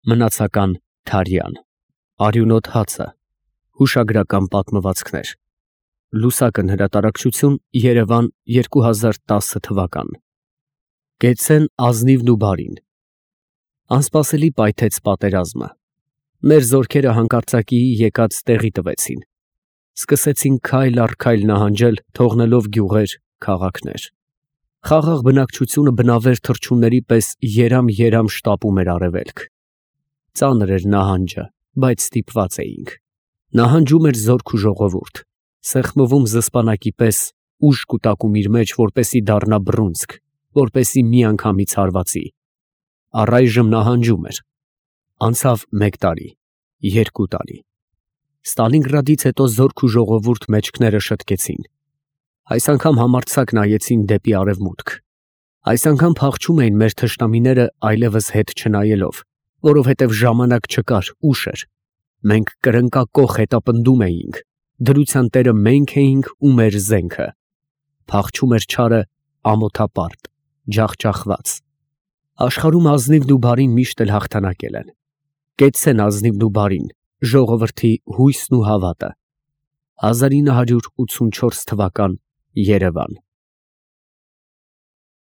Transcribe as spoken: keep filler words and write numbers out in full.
Մնացական Թարյան, Արյունոտ հացը, Հուշագրական պատմվածքներ, Լուսակն հրատարակչություն, Երևան, երկու հազար տասը թվական։ Կեցցեն ազնիվն ու բարին։ Անսպասելի պայթեց պատերազմը։ Մեր զորքերը հանկարծակիի եկած տեղի տվեցին։ Սկսեցին քայլ առ քայլ նահանջել, թողնելով գյուղեր, քաղաքներ։ Խաղաղ բնակչությունը բնավեր թռչունների պես երամ-երամ շտապում էր արևելք։ Ծանր էր նահանջը, բայց ստիպված էինք։ Նահանջում էր զորք ու ժողովուրդ, սեղմվում զսպանակի պես, ուժ կուտակում իր մեջ, որպեսի դառնա բռունցք, որպեսի մի անգամից հարվածի։ Առայժմ նահանջում էր։ Անցավ մեկ տարի, երկու տարի։ Ստալինգրադից հետո զորք ու ժողովուրդ մեջքները շտկեցին։ Այս անգամ համարձակ նայեցին դեպի արևմուտք։ Այս անգամ փախչում էին մեր թշնամիները այլևս հետ չնայելով, որովհետև ժամանակ չկար, ուշ էր։ Մենք կրնկակոխ հետապնդում էինք, դրության տերը մենք էինք ու մեր զենքը։ Փախչում էր չարը ամոթապարտ, ջախջախված։ Աշխարհում ազնիվն ու բարին միշտ էլ հաղթանակել են։ Կեցցեն ազնիվն ու բարին, ժողովրդի հույսն ու հավատը։ հազար ինը հարյուր ութսունչորս թվական Երևան։